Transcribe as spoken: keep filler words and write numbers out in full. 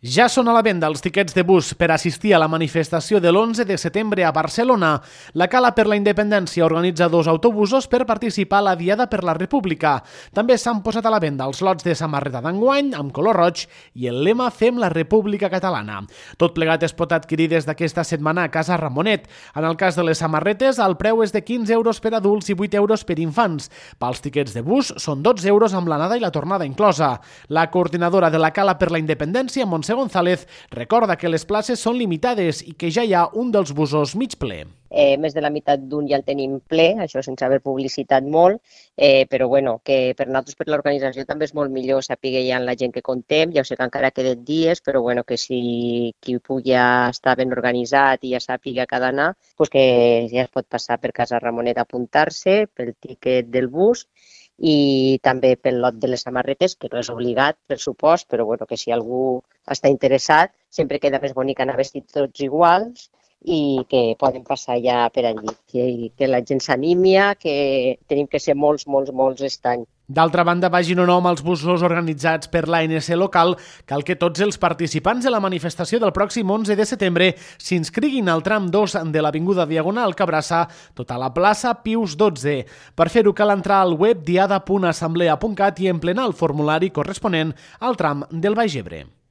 Ja són a la venda els tiquets de bus per assistir a la manifestació de l'onze de setembre a Barcelona. La Cala per la Independència organitza dos autobusos per participar a la Diada per la República. També s'han posat a la venda els lots de samarreta d'enguany amb color roig i el lema Fem la República Catalana. Tot plegat es pot adquirir des d'aquesta setmana a Casa Ramonet. En el cas de les samarretes, el preu és de quinze euros per adults i vuit euros per infants. Pels tiquets de bus són dotze euros amb l'anada i la tornada inclosa. La coordinadora de la Cala per la Independència, Montse González, recorda que les places són limitades i que ja hi ha un dels busos mig ple. Eh, més de la meitat d'un ja el tenim ple, això sense haver publicitat molt, eh, però bueno, que per nosaltres, per l'organització, també és molt millor saber ja la gent que contem. Ja ho sé que encara queden dies, però bueno, que si qui pugui estar ben organitzat i ja sàpiga que ha d'anar, pues que ja es pot passar per Casa Ramonet a apuntar-se pel tiquet del bus i també pel lot de les samarretes, que no és obligat, per supost, però bueno, que si algú està interessat, sempre queda més bonic anar vestits tots iguals i que poden passar ja per allí. I que la gent s'animi, que tenim que ser molts, molts, molts aquest any. D'altra banda, vagin o no amb els busos organitzats per l'A N C local, cal que tots els participants de la manifestació del pròxim onze de setembre s'inscriguin al tram dos de l'Avinguda Diagonal que abraça tota la plaça Pius dotze. Per fer-ho cal entrar al web diada punt assemblea punt cat i emplenar el formulari corresponent al tram del Baix Ebre.